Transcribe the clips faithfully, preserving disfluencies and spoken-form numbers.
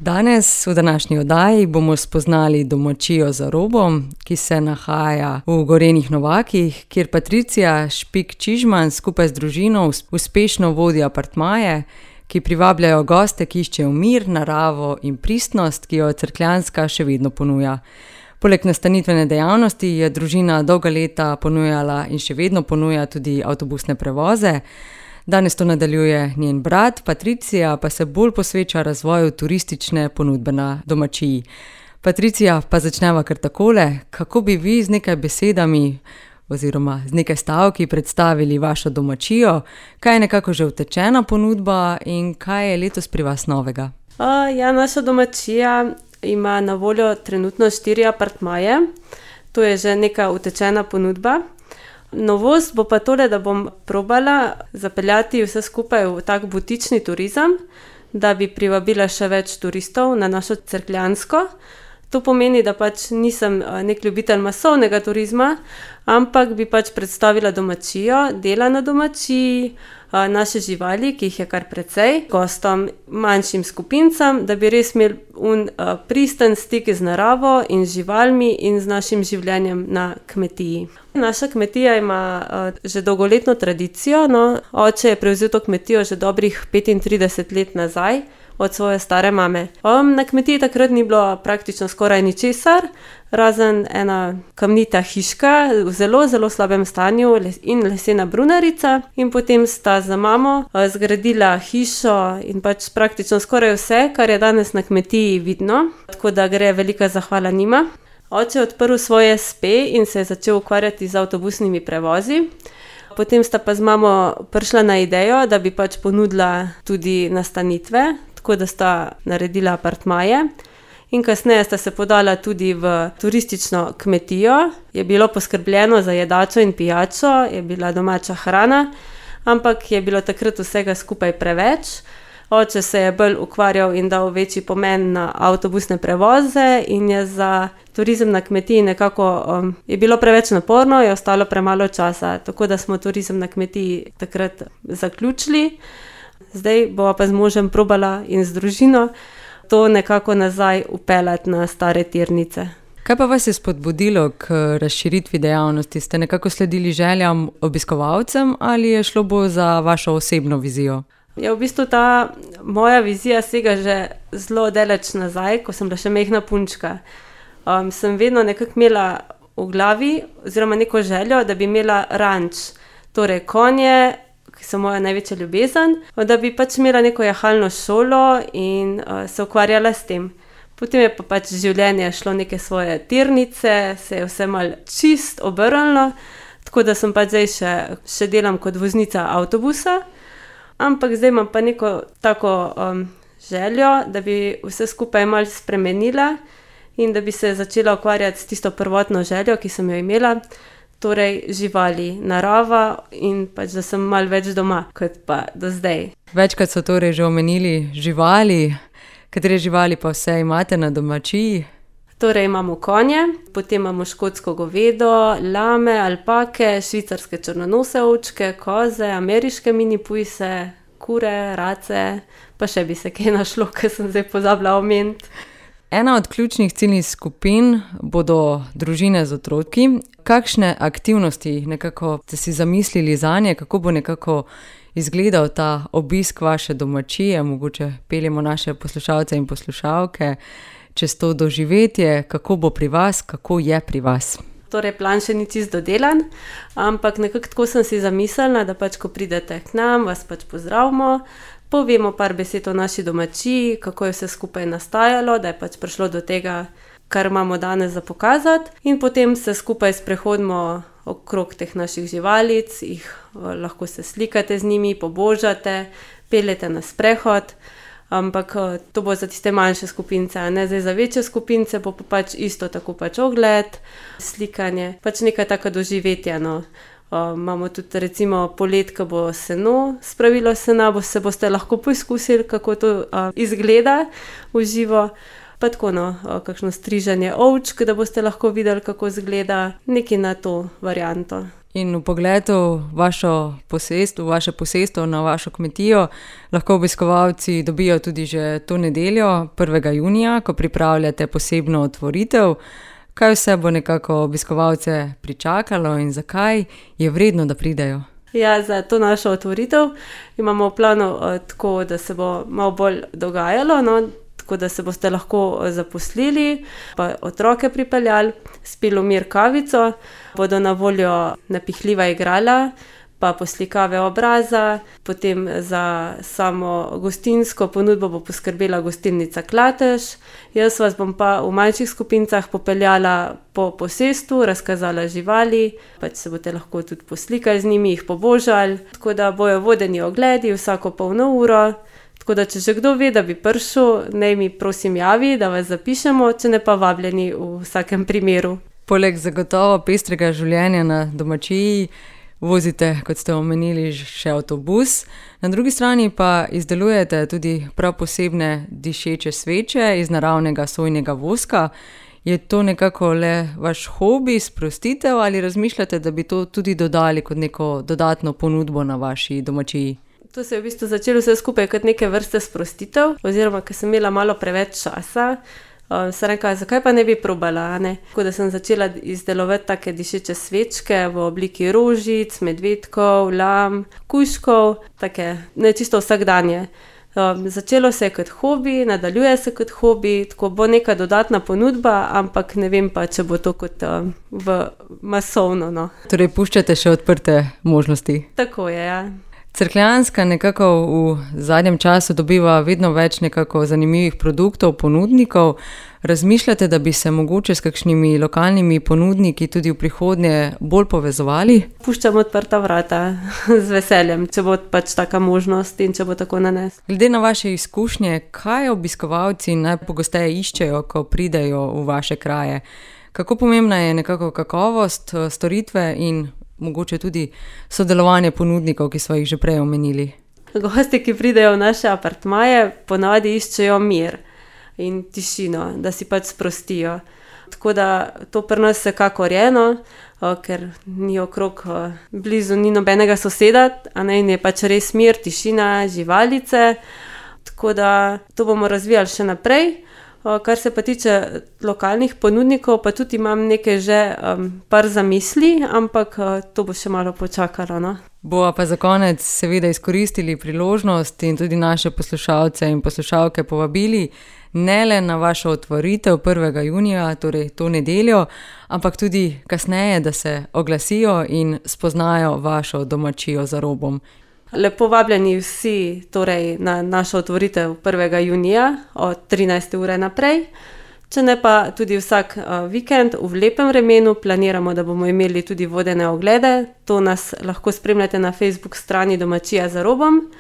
Danes v današnji oddaji bomo spoznali domačijo za robom, ki se nahaja v Gorenjih Novakih, kjer Patricija Špik Čižman skupaj z družino uspešno vodi apartmaje, ki privabljajo goste, ki iščejo mir, naravo in pristnost, ki jo Cerkljanska še vedno ponuja. Poleg nastanitvene dejavnosti je družina dolga leta ponujala in še vedno ponuja tudi avtobusne prevoze. Danes to nadaljuje njen brat, Patricija pa se bolj posveča razvoju turistične ponudbe na domačiji. Patricija, pa začneva kar takole, kako bi vi z nekaj besedami oziroma z nekaj stavki predstavili vašo domačijo, kaj je nekako že utečena ponudba in kaj je letos pri vas novega? Uh, ja, naša domačija ima na voljo trenutno štiri apartmaje, to je že neka utečena ponudba. Novost bo pa tole, da bom probala zapeljati vse skupaj v tak butični turizem, da bi privabila še več turistov na našo Cerkljansko. To pomeni, da pač nisem nek ljubitelj masovnega turizma, ampak bi pač predstavila domačijo, dela na domačiji, naše živali, ki jih je kar precej, gostom, manjšim skupincam, da bi res imeli un pristen stik z naravo in živalmi in z našim življenjem na kmetiji. Naša kmetija ima že dolgoletno tradicijo, no, oče je prevzel to kmetijo že dobrih petintrideset let nazaj, od svoje stare mame. Um, na kmetiji takrat ni bilo praktično skoraj ničesar, razen ena kamnita hiška v zelo, zelo slabem stanju in lesena brunarica. In potem sta za mamo uh, zgradila hišo in pač praktično skoraj vse, kar je danes na kmetiji vidno, tako da gre velika zahvala njima. Oče je odprl svoje espe in se je začel ukvarjati z avtobusnimi prevozi. Potem sta pa z mamo prišla na idejo, da bi pač ponudila tudi nastanitve, tako da sta naredila apartmaje in kasneje sta se podala tudi v turistično kmetijo. Je bilo poskrbljeno za jedačo in pijačo, je bila domača hrana, ampak je bilo takrat vsega skupaj preveč. Oče se je bolj ukvarjal in dal večji pomen na avtobusne prevoze in je za turizem na kmetiji nekako, um, je bilo preveč naporno, je ostalo premalo časa, tako da smo turizem na kmetiji takrat zaključili. Zdaj bova pa z možem probala in z družino to nekako nazaj upeljati na stare tirnice. Kaj pa vas je spodbudilo k razširitvi dejavnosti? Ste nekako sledili željam obiskovalcem ali je šlo bolj za vašo osebno vizijo? Ja, v bistvu ta moja vizija sega že zelo daleč nazaj, ko sem bila še majhna punčka. Um, sem vedno nekako imela v glavi oziroma neko željo, da bi imela ranč, torej konje, ki so moja največja ljubezen, da bi pač imela neko jahalno šolo in uh, se ukvarjala s tem. Potem je pa pač življenje šlo neke svoje tirnice, se je vse malo čist obrnilo, tako da sem pač zdaj še, še delam kot voznica avtobusa, ampak zdaj imam pa neko tako um, željo, da bi vse skupaj malo spremenila in da bi se začela ukvarjati s tisto prvotno željo, ki sem jo imela, torej živali, narava in pač, da sem malo več doma, kot pa do zdaj. Večkrat so torej že omenili živali, katere živali pa vse imate na domačiji? Torej imamo konje, potem imamo škotsko govedo, lame, alpake, švicarske črnonose ovčke, koze, ameriške mini pujse, kure, race, pa še bi se kaj našlo, ker sem zdaj pozabila omeniti. Ena od ključnih ciljnih skupin bodo družine z otroki. Kakšne aktivnosti nekako ste si zamislili zanje, kako bo nekako izgledal ta obisk vaše domačije, mogoče peljemo naše poslušalce in poslušalke čez to doživetje, kako bo pri vas, kako je pri vas? Torej, plan še ni čisto dodelan, ampak nekako tako sem si zamislila, da pač ko pridete k nam, vas pač pozdravimo, povemo par besed o naši domačiji, kako je vse skupaj nastajalo, da je pač prišlo do tega, kar imamo danes za pokazati, in potem se skupaj sprehodimo okrog teh naših živalic, jih lahko se slikate z njimi, pobožate, peljete na sprehod, ampak to bo za tiste manjše skupince, a ne zdaj za večje skupince, bo pa pač isto tako pač ogled, slikanje, pač nekaj taka doživetja, no. Uh, imamo tudi recimo polet, ko bo seno, spravilo sena, bo se boste lahko poizkusili, kako to uh, izgleda v živo. Pa tako, no, uh, kakšno strižanje ovčk, da boste lahko videli, kako izgleda, nekaj na to varianto. In v pogledu vašo posestvo, vaše posestvo na vašo kmetijo lahko obiskovalci dobijo tudi že to nedeljo, prvega junija, ko pripravljate posebno otvoritev. Kaj vse bo nekako obiskovalce pričakalo in zakaj je vredno, da pridejo? Ja, za to našo otvoritev imamo v planu uh, tako, da se bo malo bolj dogajalo, no? Tako da se boste lahko zaposlili, pa otroke pripeljali, spili v mir kavico, bodo na voljo napihljiva igrala, pa poslikave obraza, potem za samo gostinsko ponudbo bo poskrbela gostilnica Klatež. Jaz vas bom pa v manjših skupincah popeljala po posestvu, razkazala živali, pač se boste lahko tudi poslikali z njimi, jih pobožali, tako da bojo vodeni ogledi vsako polno uro. Tako da, če že kdo ve, da bi prišel, naj mi prosim javi, da vas zapišemo, če ne pa vabljeni v vsakem primeru. Poleg zagotovo pestrega življenja na domačiji vozite, kot ste omenili, še avtobus. Na drugi strani pa izdelujete tudi prav posebne dišeče sveče iz naravnega sojnega voska. Je to nekako le vaš hobi, sprostitev ali razmišljate, da bi to tudi dodali kot neko dodatno ponudbo na vaši domačiji? To se je v bistvu začelo vse skupaj kot neke vrste sprostitev, oziroma ker sem imela malo preveč časa, um, sem rekla, zakaj pa ne bi probala, ne? Tako da sem začela izdelovati take dišeče svečke v obliki rožic, medvedkov, lam, kužkov, take ne čisto vsakdanje. Um, začelo se je kot hobi, nadaljuje se kot hobi, tako bo neka dodatna ponudba, ampak ne vem pa, če bo to kot um, v masovno, no. Torej puščate še odprte možnosti? Tako je, ja. Cerkljanska nekako v zadnjem času dobiva vedno več nekako zanimivih produktov, ponudnikov. Razmišljate, da bi se mogoče s kakšnimi lokalnimi ponudniki tudi v prihodnje bolj povezovali? Puščam odprta vrata z veseljem, če bo pač taka možnost in če bo tako nanes. Glede na vaše izkušnje, kaj obiskovalci najpogosteje iščejo, ko pridejo v vaše kraje? Kako pomembna je nekako kakovost storitve in mogoče tudi sodelovanje ponudnikov, ki smo jih že prej omenili? Gosti, ki pridejo v naše apartmaje, ponavadi iščejo mir in tišino, da si pač sprostijo. Tako da to pri nas vsekakor je, no, ker ni okrog blizu ni nobenega soseda, a ne, in je pač res mir, tišina, živalice. Tako da to bomo razvijali še naprej. Kar se pa tiče lokalnih ponudnikov, pa tudi imam nekaj že um, par zamisli, ampak uh, to bo še malo počakalo, no. Bova pa za konec seveda izkoristili priložnost in tudi naše poslušalce in poslušalke povabili ne le na vašo otvoritev prvega junija, torej to nedeljo, ampak tudi kasneje, da se oglasijo in spoznajo vašo domačijo za robom. Lepo vabljeni vsi torej na našo otvoritev prvega junija od trinajste ure naprej. Če ne pa tudi vsak uh, vikend v lepem vremenu planiramo, da bomo imeli tudi vodene oglede. To nas lahko spremljate na Facebook strani Domačija za robom.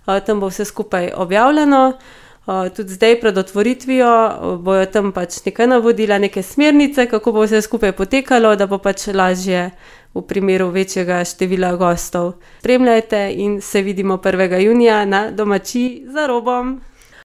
Uh, tam bo vse skupaj objavljeno. Uh, tudi zdaj pred otvoritvijo uh, bojo tam pač nekaj navodila, neke smernice, kako bo vse skupaj potekalo, da bo pač lažje v primeru večjega števila gostov. Spremljajte in se vidimo prvega junija na Domačiji za robom.